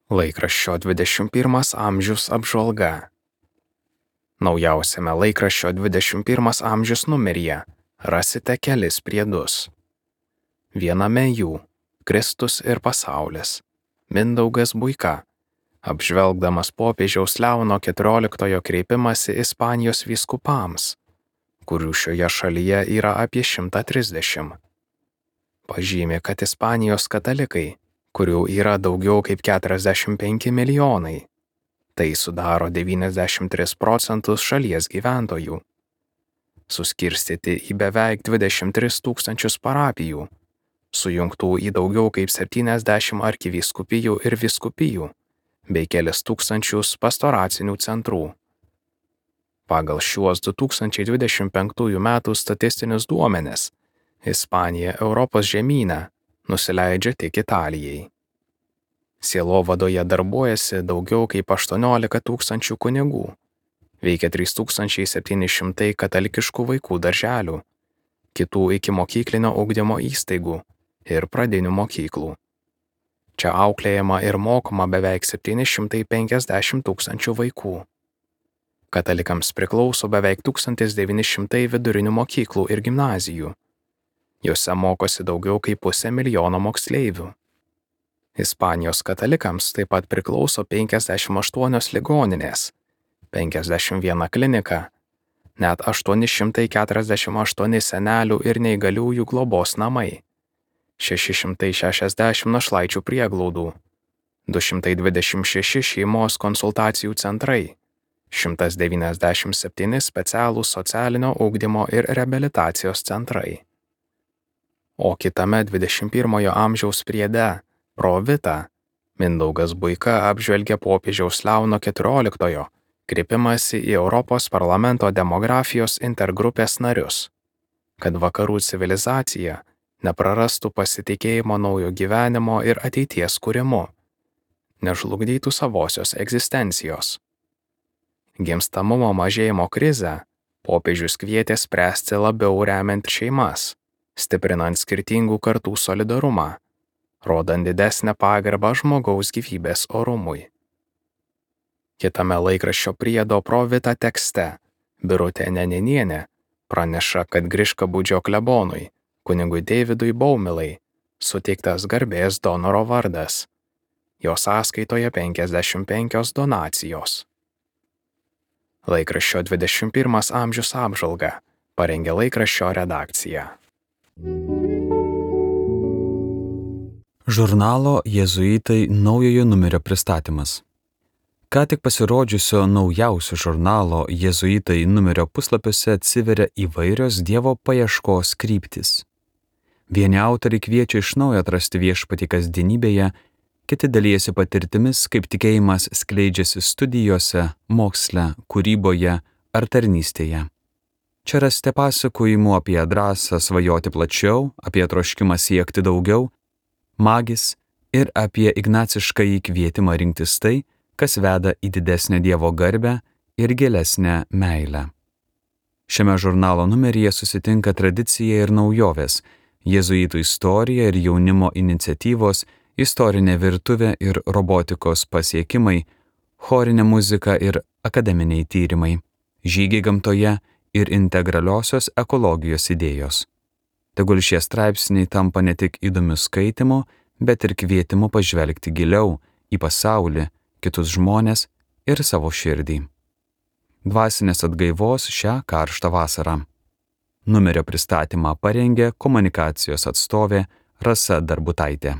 Laikraščio 21 amžius apžvalga. Naujausiame laikraščio 21 amžius numeryje rasite kelis priedus. Viename jų Kristus ir pasaulis. Mindaugas Buika, apžvelgdamas popiežiaus Leono XIV kreipimąsi Ispanijos vyskupams, kurių šioje šalyje yra apie 130. Pažymi, kad Ispanijos katalikai, kurių yra daugiau kaip 45 milijonai, tai sudaro 93% šalies gyventojų, suskirstyti į beveik 23 tūkstančius parapijų, sujungtų į daugiau kaip 70 arkivyskupijų ir vyskupijų, bei kelis tūkstančius pastoracinių centrų. Pagal šiuos 2025 metų statistinius duomenis, Ispanija Europos žemyne nusileidžia tik Italijai. Sielovadoje darbuojasi daugiau kaip 18 tūkstančių kunigų, veikia 3700 katalikiškų vaikų darželių, kitų ikimokyklinio ugdymo įstaigų ir pradinių mokyklų. Čia auklėjama ir mokoma beveik 750 tūkstančių vaikų. Katalikams priklauso beveik 1900 vidurinių mokyklų ir gimnazijų. Jose mokosi daugiau kaip 500 000 moksleivių. Ispanijos katalikams taip pat priklauso 58 ligoninės, 51 klinika, net 848 senelių ir neįgaliųjų globos namai, 660 našlaičių prieglaudų, 226 šeimos konsultacijų centrai, 197 specialūs socialinio ugdymo ir reabilitacijos centrai. O kitame 21 amžiaus priede, Pro Vita, Mindaugas Buika apžvelgia popiežiaus Leono XIV kreipimąsi į Europos parlamento demografijos intergrupės narius, kad vakarų civilizacija neprarastų pasitikėjimo naujo gyvenimo ir ateities kūrimu, nežlugdytų savosios egzistencijos. Gimstamumo mažėjimo krizę popiežius kvietė spręsti labiau remiant šeimas, stiprinant skirtingų kartų solidarumą, rodant didesnę pagarbą žmogaus gyvybės orumui. Kitame laikraščio priedo Pro Vita tekste Birutė Neninienė praneša, kad Griškabūdžio klebonui, kunigui Deividui Baumilai, suteiktas garbės donoro vardas. Jo sąskaitoje 55 donacijos. Laikraščio 21 amžius apžvalga parengė laikraščio redakcija. Žurnalo Jėzuitai naujojo numerio pristatymas. Ką tik pasirodžiusio naujausio žurnalo Jėzuitai numerio puslapiuose atsiveria įvairios Dievo paieškos kryptys. Vieni autoriai kviečia iš naujo atrasti viešpatį kasdienybėje, kiti dalijasi patirtimis, kaip tikėjimas skleidžiasi studijose, moksle, kūryboje ar tarnystėje. Čia rasite pasakojimų apie drąsą svajoti plačiau, apie troškimą siekti daugiau, magis ir apie ignaciškąjį kvietimą rinktis tai, kas veda į didesnę Dievo garbę ir gilesnę meilę. Šiame žurnalo numeryje susitinka tradicija ir naujovės, jėzuitų istorija ir jaunimo iniciatyvos, istorinė virtuvė ir robotikos pasiekimai, chorinė muzika ir akademiniai tyrimai, žygiai gamtoje ir integraliosios ekologijos idėjos. Tegul šie straipsniai tampa ne tik įdomiu skaitimu, bet ir kvietimu pažvelgti giliau į pasaulį, kitus žmones ir savo širdį. Dvasinės atgaivos šią karštą vasarą. Numerio pristatymą parengė komunikacijos atstovė Rasa Darbutaitė.